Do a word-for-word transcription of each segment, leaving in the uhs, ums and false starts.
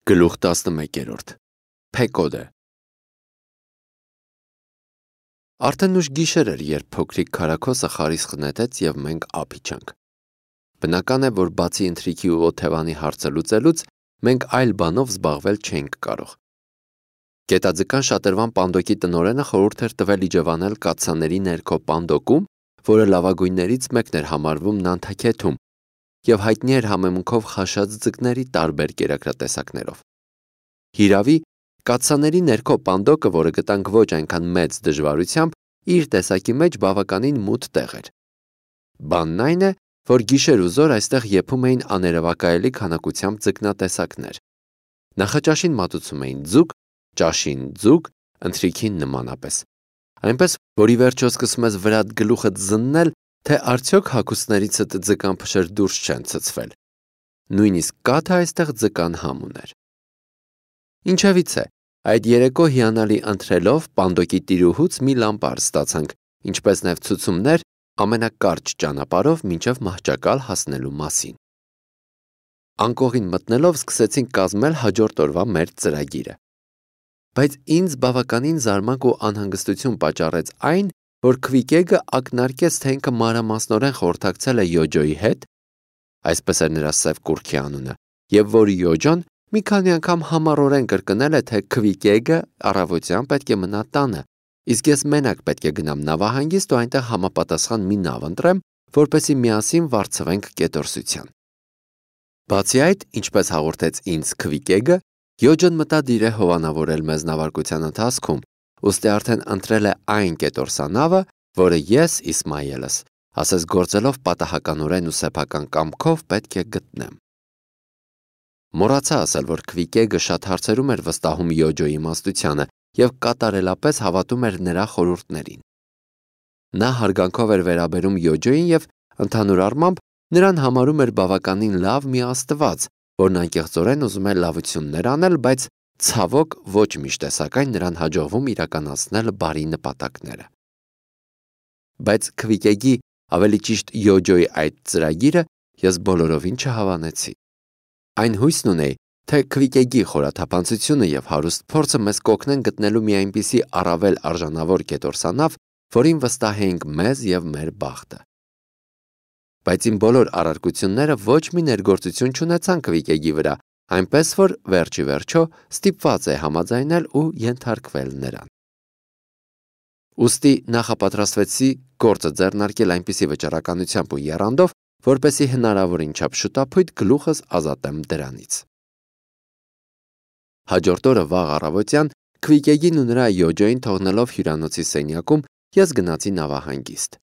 Գլուխ տասնմեկերորդ Փեկոդը Արդեն ուշ գիշեր էր, երբ փոքրիկ քարաքոսը խարիսխ նետեց և մենք ափ իջանք։ Բնական է, որ բացի ընթրիքի ու օթևանի հարցը լուծելուց, մենք այլ բանով զբաղվել չէինք կարող։ Գետաձկան շատրվան պանդոկի տնօրենը խորհուրդ էր տվել իջևանել կաթսաների ներքո պանդոկում, որը լավագույններից մեկն էր համարվում Նանթաքեթում, և հայտնի էր համեմունքով խաշած ձկների տարբեր կերակրատեսակներով։ Հիրավի, կաթսաների ներքո պանդոկը, որը գտանք ոչ այնքան մեծ դժվարությամբ, իր տեսակի մեջ բավականին մութ տեղ էր։ Բանն այն է, որ գիշեր ու զօր այստեղ եփում էին աներևակայելի քանակությամբ ձկնատեսակներ։ Նախաճաշին մատուցում էին ձուկ, ճաշին ձուկ, ընթրիքին նմանապես։ Այնպես, որ ի վերջո սկսում ես վրադ գլուխդ զննել, թե արդյոք հագուստներիցդ ձկան փշեր դուրս չեն ցցվել։ Նույնիսկ կաթը այստեղ ձկան համ ուներ։ Ինչևից է, այդ երեկո հիանալի ընթրելով պանդոկի տիրուհուց մի լամպար ստացանք, ինչպես նաև ցուցումներ ամենակարճ ճանապարհով մինչև Մահճակալ հասնելու մասին։ Անկողին մտնելով սկսեցինք կազմել հաջորդ օրվա մեր ծրագիրը։ Բայց ինձ բավականին զարմանք ու անհանգստություն պատճառեց այն, որ Քվիկեգը ակնարկեց, թե ինքը մանրամասնորեն խորհրդակցել է Յոջոյի հետ, այսպես էր նրա սև կուռքի անունը, և որ Յոջոն մի քանի անգամ համառորեն կրկնել է, թե Քվիկեգը առավոտյան պետք է մնա տանը, իսկ ես մենակ պետք է գնամ նավահանգիստ ու այնտեղ համապատասխան մի նավ ընտրեմ, որպեսզի միասին վարձվենք կետորսության։ Բացի այդ, ինչպես հաղորդեց ինձ Քվիկեգը, Յոջոն մտադիր է հովանավորել մեզ նավարկության ընթացքում, ուստի արդեն ընտրել է այն կետորսանավը, որը ես, Իսմայելս, ասես գործելով պատահականորեն ու սեփական կամքով պետք է գտնեմ։ Մոռացա ասել, որ Քվիկեգը շատ հարցերում էր վստահում Յոջոյի իմաստությանը և կատարելապես հավատում էր նրա խորհուրդներին։ Նա հարգանքով էր վերաբերում Յոջոյին և, ընդհանուր առմամբ, նրան համարում էր բավականին լավ մի աստված, որն անկեղծորեն ուզում է լավություններ անել, բայց ցավոք ոչ միշտ է սակայն նրան հաջողվում իրականացնել բարի նպատակները։ Բայց Քվիկեգի, ավելի ճիշտ Յոջոյի այդ ծրագիրը ես բոլորովին չհավանեցի։ Այն հույսն ունեի, թե Քվիկեգի խորաթափանցությունը և հարուստ փորձը մեզ կօգնեն գտնելու մի այնպիսի առավել արժանավոր կետորսանավ, որին վստահեինք մեզ և մեր բախտը։ Բայց իմ բոլոր առարկությունները ոչ մի ներգործություն չունեցան Քվիկեգի վրա, այնպես որ վերջ ի վերջո ստիպված է համաձայնել ու ենթարկվել նրան։ Ուստի նախապատրաստվեցի գործը ձեռնարկել այնպիսի վճռականությամբ ու եռանդով, որպեսզի հնարավորին չափ շուտափույթ գլուխս ազատեմ դրանից։ Հաջորդ օրը վաղ առավոտյան Քվիկեգին ու նրա Յոջոյին թողնելով հյուրանոցի սենյակում, ես գնացի նավահանգիստ։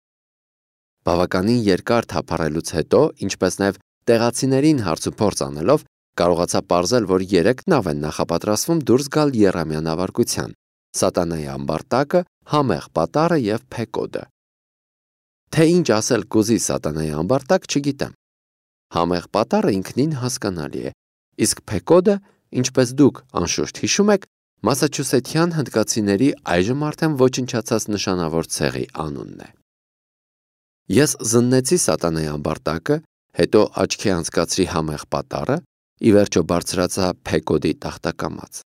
Բավականին երկար թափառելուց հետո, ինչպես նաև տեղացիներին հարցուփորձ անելով, կարողացա պարզել, որ երեք նավ են նախապատրաստվում դուրս գալ եռամյա նավարկության՝ Սատանայի ամբարտակը, Համեղ Պատառը և Փեկոդը։ Թե ինչ ասել կուզի Սատանայի ամբարտակ, չգիտեմ։ Համեղ Պատառը ինքնին հասկանալի է, իսկ Փեկոդը, ինչպես դուք անշուշտ հիշում եք, մասաչուսեթյան հնդկացիների այժմ արդեն ոչնչացած նշանավոր ցեղի անունն է։ Ես զննեցի Սատանայի ամբարտակը, հետո աչքի անցկացրի Համեղ Պատառը, ի վերջո բարձրացա Փեկոդի տախտակամած։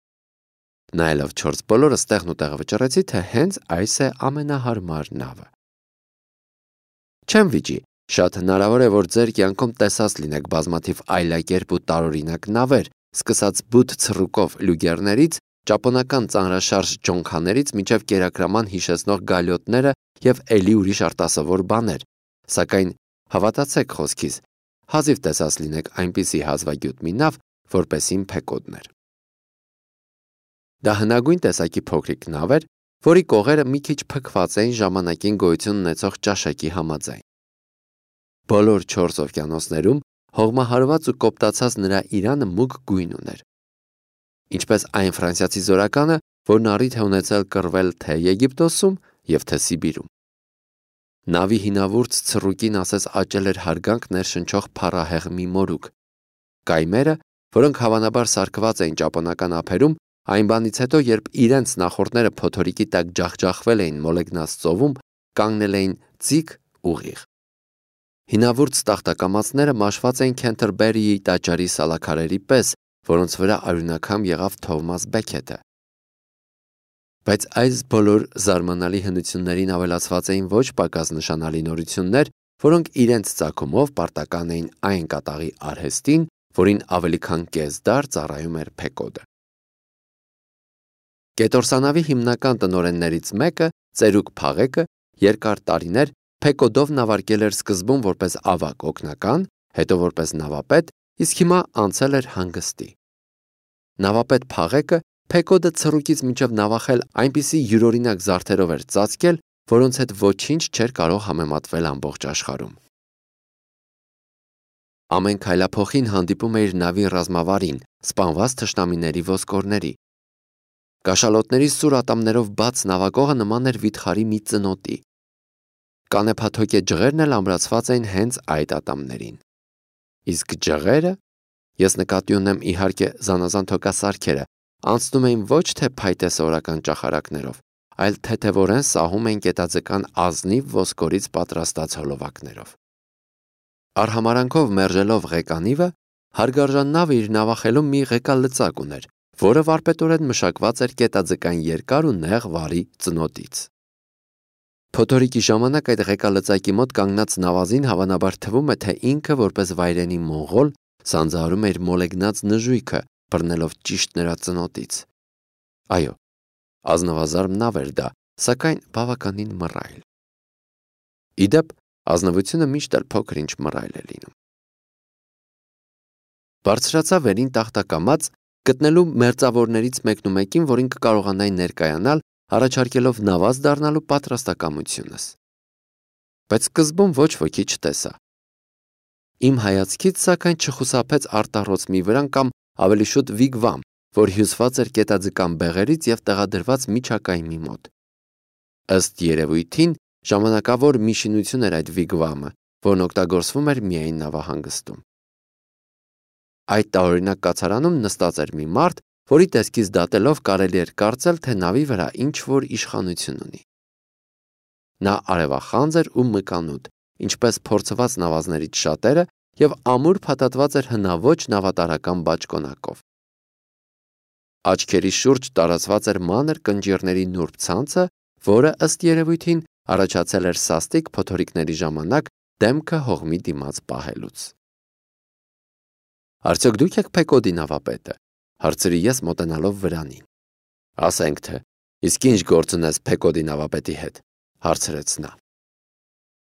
Նայելով չորս բոլորս տեղն ու տեղը վճռեցի, թե հենց այս է ամենահարմար նավը։ Չեմ վիճի, շատ հնարավոր է, որ ձեր կյանքում տեսած լինեք բազմաթիվ այլակերպ ու տարօրինակ նավեր, սկսած բութ ցռուկով լյուգերներից, ճապոնական ծանրաշարժ ջոնքաներից մինչև կերակրաման հիշեցնող գալյոտները և էլի ուրիշ արտասովոր բաներ, սակայն հավատացեք խոսքիս, հազիվ տեսած լինեք այնպիսի հազվագյուտ մի նավ, որպեսին Փեկոդն էր։ Դա հնագույն տեսակի փոքրիկ նավ էր, որի կողերը մի քիչ փքված էին ժամանակին գոյություն ունեցող ճաշակի համաձայն։ Բոլոր չորս օվկիանոսներում հողմահարված ու կոպտացած նրա իրանը մուգ գույն ուներ։ Ինչպես այն ֆրանսիացի զորականը, որն առիթ է ունեցել կռվել թե Եգիպտոսում և թե Սիբիրում։ Նավի հինավուրց ցռուկին ասես աճել էր հարգանք ներշնչող փառահեղ մի մորուք։ Կայմերը, որոնք հավանաբար սարքված էին ճապոնական ափերում, այն բանից հետո, երբ իրենց նախորդները փոթորիկի տակ ջախջախվել էին մոլեգնած ծովում, կանգնել էին ձիգ ուղիղ։ Հինավուրց տախտակամածները մաշված էին Քենթերբերիի տաճարի սալաքարերի պես, որոնց վրա արյունակամ եղավ Թովմաս Բեքեթը։ Բայց այս բոլոր զարմանալի հնություններին ավելացված էին ոչ պակաս նշանալի նորություններ, որոնք իրենց ծագումով պարտական էին այն կատաղի արհեստին, որին ավելի քան կես դար ծառայում էր Փեկոդը։ Կետորսանավի հիմնական տնօրեններից մեկը, Ծերուկ Փաղեկը, երկար տարիներ Փեկոդով նավարկել էր սկզբում որպես ավագ օգնական, հետո որպես նավապետ, իսկ հիմա անցել էր հանգստի։ Նավապետ Փաղեկը Փեկոդը ցռուկից մինչև նավախել այնպիսի յուրօրինակ զարդերով էր ծածկել, որոնց հետ ոչինչ չէր կարող համեմատվել ամբողջ աշխարհում։ Ամեն քայլափոխին հանդիպում էր նավի ռազմավարին, սպանված թշնամիների ոսկորների։ Կաշալոտների սուր ատամներով բաց նավակողը նման էր վիթխարի մի ծնոտի։ Կանեփաթոկե ջղերն էլ ամրացված էին հենց այդ ատամներին։ Իսկ ջղերը, ես նկատի ունեմ իհարկե զանազան թոկասարքերը, անցնում էին ոչ թե փայտեսորական ճախարակներով, այլ թեթևորեն սահում էին կետաձկան ազնիվ ոսկորից պատրաստած հոլովակներով։ Արհամարանքով մերժելով ղեկանիվը, հարգարժան նավը իր նավախելում մի ղեկալծակ ուներ, որը վարպետորեն մշակված էր կետաձկան երկար ու նեղ վարի ծնոտից։ Փոթորիկի ժամանակ այդ ղեկալծակի մոտ կանգնած նավազին հավանաբար թվում է, թե ինքը որպես վայրենի մոնղոլ սանձահարում էր մոլեգնած նժույգը, բռնելով ճիշտ նրա ծնոտից։ Այո, ազնվազարմ նավ էր դա, սակայն բավականին մռայլ։ Իդեպ, ազնվությունը միշտ էլ փոքր-ինչ մռայլ է լինում։ Բարձրացա վերին տախտակամած, գտնելու մերձավորներից մեկն ու մեկին, որին կկարողանայի ներկայանալ, առաջարկելով նավազ դառնալու պատրաստակամությունս։ Բայց սկզբում ոչ ոքի չտեսա։ Իմ հայացքից սակայն չխուսափեց արտառոց մի վրան կամ ավելի շուտ վիգվամ, որ հյուսված էր կետաձկան բեղերից և տեղադրված միջակայմի մոտ։ Ըստ երևույթին, ժամանակավոր մի շինություն էր այդ վիգվամը, որն օգտագործվում էր միայն նավահանգստում։ Այդ տարօրինակ կացարանում նստած էր մի մարդ, որի տեսքից դատելով կարելի էր կարծել, թե նավի վրա ինչ-որ իշխանություն ունի։ Նա արևախանձ էր ու մկանուտ, ինչպես փորձված նավազներից շատերը, և ամուր փաթաթված էր հնաոճ նավատարական բաճկոնակով։ Աչքերի շուրջ տարածված էր մանր կնճիռների նուրբ ցանցը, որը ըստ երևույթին առաջացել էր սաստիկ փոթորիկների ժամանակ դեմքը հողմի դիմաց պահելուց։ Արդյոք դուք եք Փեկոդի նավապետը, հարցրի ես մոտենալով վրանին։ Ասենք թե, իսկ ինչ գործ ունես Փեկոդի նավապետի հետ, հարցրեց նա։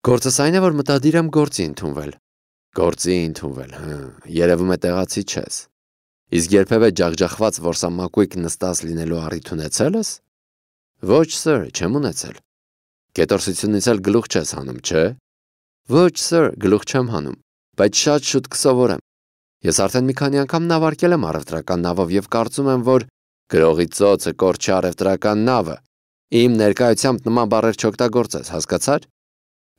Գործս այն է, որ մտադիր եմ գործի ընդունվել։ Գործի ընդունվել, հը, երևում է տեղացի չես։ Իսկ երբևէ ջախջախված որսամակույկ նստած լինելու առիթ ունեցել ես։ Ոչ, սըր, չեմ ունեցել։ Կետորսությունից էլ գլուխ չես հանում, չէ։ Ոչ, սըր, գլուխ չեմ հանում, բայց շատ շուտ կսովորեմ։ Ես արդեն մի քանի անգամ նավարկել եմ առևտրական նավով և կարծում եմ, որ գրողի ծոցը կորչի առևտրական նավը։ Իմ ներկայությամբ նման բառեր չօգտագործես, հասկացար։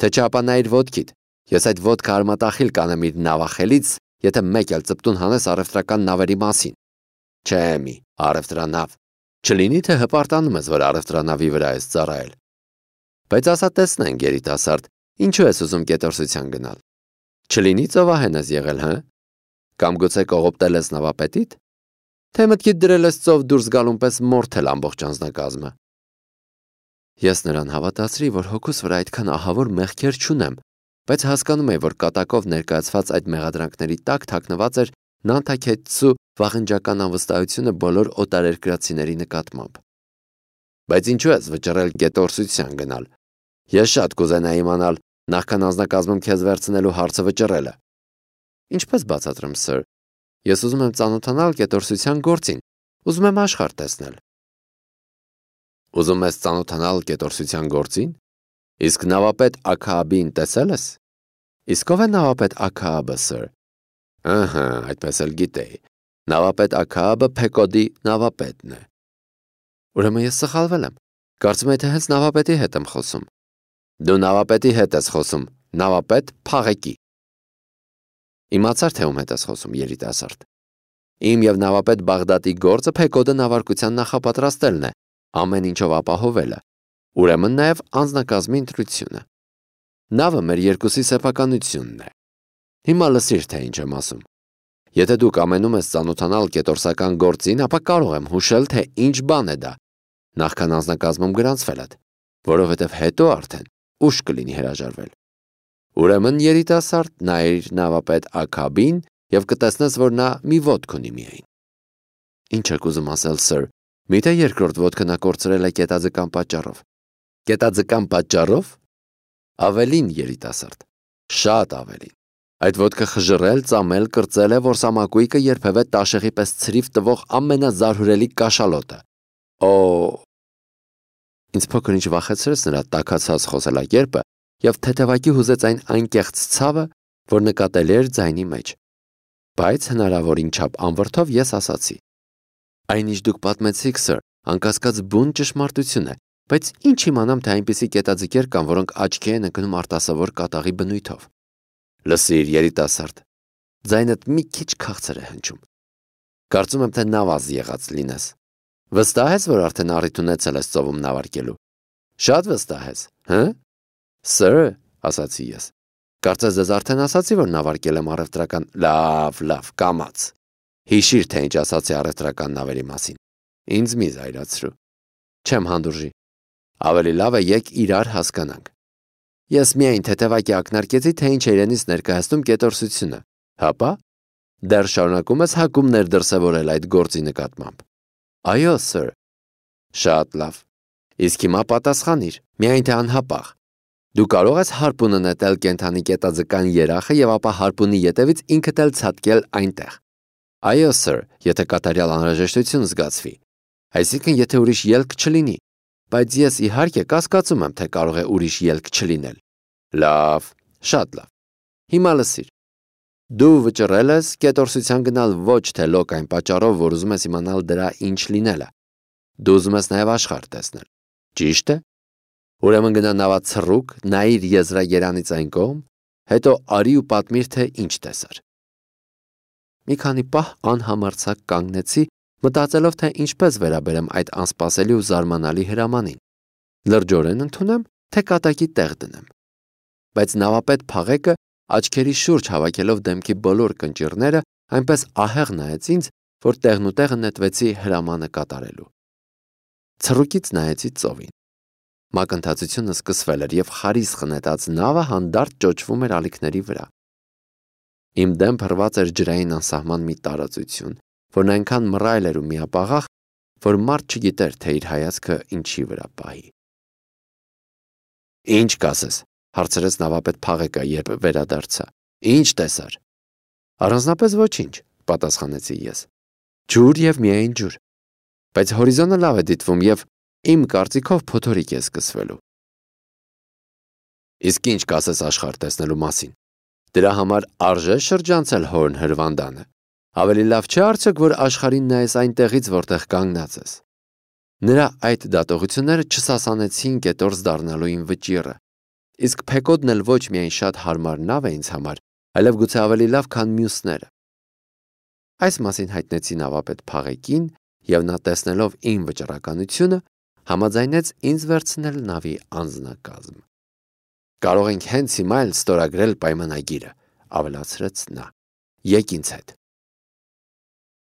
Թե չապանայիր ոտքիդ, ես այդ ոտքը արմատախիլ կանեմ իր նավախելից, եթե մեկ էլ ծպտուն հանես առևտրական նավերի մասին։ Չէ մի, առևտրանավ։ Չլինի, թե հպարտանում ես, որ առևտրանավի վրա ես ծառայել։ Բայց ասա տեսնենք, երիտասարդ, ինչու ես ուզում կետորսության գնալ։ Չլինի ծովահեն ես եղել, հը։ Կամ գուցե կողոպտել ես նավապետիդ։ Թե մտքիդ դրել ես ծով դուրս գալուն պես մորթել ամբողջ անձնակազմը։ Ես նրան հավատացրի, որ հոգուս վրա այդքան ահավոր մեղքեր չունեմ, բայց հասկանում էի, որ կատակով ներկայացված այդ մեղադրանքների տակ թաքնված էր նանթաքեթցու վաղնջական անվստահությունը բոլոր օտարերկրացիների նկատմամբ։ Բայց ինչու ես վճռել կետորսության գնալ։ Ես շատ կուզենայի իմանալ, նախքան անձնակազմում քեզ վերցնելու հարցը վճռելը։ Ինչպես բացատրեմ, սըր։ Ես ուզում եմ ծանոթանալ կետորսության գործին, ուզում եմ աշխարհ տեսնել։ Ուզում ես ծանոթանալ կետորսության գործին։ Իսկ նավապետ Աքաաբին տեսել ես։ Իսկ ով է նավապետ Աքաաբը, սըր։ Ըհը, այդպես էլ գիտեի։ Նավապետ Աքաաբը Փեկոդի նավապետն է։ Ուրեմն ես սխալվել եմ։ Կարծում եմ, թե հենց նավապետի հետ եմ խոսում։ Դու նավապետի հետ ես խոսում, նավապետ Փաղեկի։ Իմացար, թե ում հետ ես խոսում, երիտասարդ։ Իմ և նավապետ Բաղդադի գործը Փեկոդը նավարկության նախապատրաստելն է, ամեն ինչով ապահովելը, ուրեմն նաև անձնակազմի ընտրությունը։ Նավը մեր երկուսի սեփականությունն է։ Հիմա լսիր, թե ինչ եմ ասում։ Եթե դուք ամենում ես ծանոթանալ կետորսական գործին, ապա կարող եմ հուշել, թե ինչ բան է դա, նախքան անձնակազմում գրանցվելդ, որովհետև հետո արդեն ուշ կլինի հրաժարվել։ Ուրեմն երիտասարդ նայիր նավապետ Աքաբին և կտեսնես, որ նա մի ոտք ունի միայն։ Ինչ եք ուզում ասել, սըր, միթե երկրորդ ոտքը նա կորցրել է կետաձկան պատճառով։ Կետաձկան պատճառով։ Ավելին, երիտասարդ, շատ ավելին։ Այդ ոտքը խժռել, ծամել, կրծել է, որ սամակույկը երբևէ տաշեղի պես ցրիվ տվող ամենազարհուրելի կաշալոտը։ Օ… Ինձ փոքր ինչ վախեցրեց նրա տաքացած խոսելակերպը և թեթևակի հուզեց այն անկեղծ ցավը, որ նկատելի էր ձայնի մեջ։ Բայց հնարավորին չափ անվրդով ես ասացի. Այն ինչ դուք պատմեցիք, սըր, անկասկած բուն ճշմարտություն է, բայց ինչ իմանամ, թե այնպիսի կետաձկեր կան, որոնք աչքի են ընկնում արտասովոր կատաղի բնույթով։ Լսիր, երիտասարդ, ձայնդ մի քիչ քաղցր է հնչում։ Կարծում եմ, թե նավազ եղած լինես։ Վստահ ես, որ արդեն առիթ ունեցել ես ծովում նավարկելու։ Շատ վստահ ես, հը՞։ Սըր, ասացի ես։ Կարծես ձեզ արդեն ասացի, որ նավարկել եմ առևտրական։ Լավ, լավ, կամաց։ Հիշիր, թե ինչ ասացի առևտրական նավերի մասին։ Ինձ մի զայրացրու։ Չեմ հանդուրժի։ Ավելի լավ է եկ իրար հասկանանք։ Ես միայն թեթևակի ակնարկեցի, թե ինչ է իրենից ներկայացնում կետորսությունը, հապա դեռ շարունակում ես հակումներ դրսևորել այդ գործի նկատմամբ։ Այո, սըր։ Շատ լավ։ Իսկ հիմա պատասխանիր, միայն թե անհապաղ։ Դու կարող ես հարպունը նետել կենդանի կետաձկան երախը և ապա հարպունի ետևից ինքդ էլ ցատկել այնտեղ։ Այո, սըր, եթե կատարյալ անհրաժեշտություն զգացվի։ Այսինքն, եթե ուրիշ ելք չլինի, բայց ես իհարկե կասկածում եմ, թե կարող է ուրիշ ելք չլինել։ Լավ, շատ լավ։ Հիմա լսիր։ Դու վճռել ես կետորսության գնալ ոչ թե լոկ այն պատճառով, որ ուզում ես իմանալ դրա ինչ լինելը։ Դու ուզում ես նաև աշխարհ տեսնել։ Ճիշտ է։ Ուրեմն գնա նավացռուկ, նայիր եզրագերանից այն կողմ, հետո արի ու պատմիր, թե ինչ տեսար։ Մի քանի պահ անհամարձակ կանգնեցի, մտածելով, թե ինչպես վերաբերեմ այդ անսպասելի ու զարմանալի հրամանին։ Լրջորեն ընդունեմ, թե կատակի տեղ դնեմ։ Բայց նավապետ Փաղեկը, աչքերի շուրջ հավաքելով դեմքի բոլոր կնճիռները, այնպես ահեղ նայեց ինձ, որ տեղնուտեղը նետվեցի հրամանը կատարելու։ Ցռուկից նայեցի ծովին։ Մակընթացությունը սկսվել էր և խարիսխ նետած նավը հանդարտ ճոճվում էր ալիքների վրա։ Իմ դեմ փռված էր ջրային անսահման մի տարածություն, որն այնքան մռայլ էր ու միապաղաղ, որ մարդ չգիտեր, թե իր հայացքը ինչի վրա պահի։ Ինչ կասես, հարցրեց նավապետ Փաղեկը, երբ վերադարձա։ Ինչ տեսար։ Առանձնապես ոչինչ, պատասխանեցի ես։ Ջուր և միայն ջուր։ Բայց հորիզոնը լավ է դիտվում և իմ կարծիքով փոթորիկ է սկսվելու։ Իսկ ինչ կասես աշխարհ տեսնելու մասին։ Դրա համար արժե շրջանցել հորն հրվանդանը։ Ավելի լավ չէ արդյոք, որ աշխարհին նայես այնտեղից, որտեղ կանգնած ես։ Նրա այդ դատողությունները չսասանեցին կետորս դառնալու իմ վճիռը։ Իսկ Փեկոդն էլ ոչ միայն շատ հարմար նավ է ինձ համար, այլև գուցե ավելի լավ, քան մյուսները։ Այս մասին հայտնեցի նավապետ Փաղեկին, և նա տեսնելով իմ վճռականությունը, համաձայնեց ինձ վերցնել նավի անձնակազմ։ Կարող ենք հենց հիմա էլ ստորագրել պայմանագիրը, ավելացրեց նա։ Եկ ինձ հետ։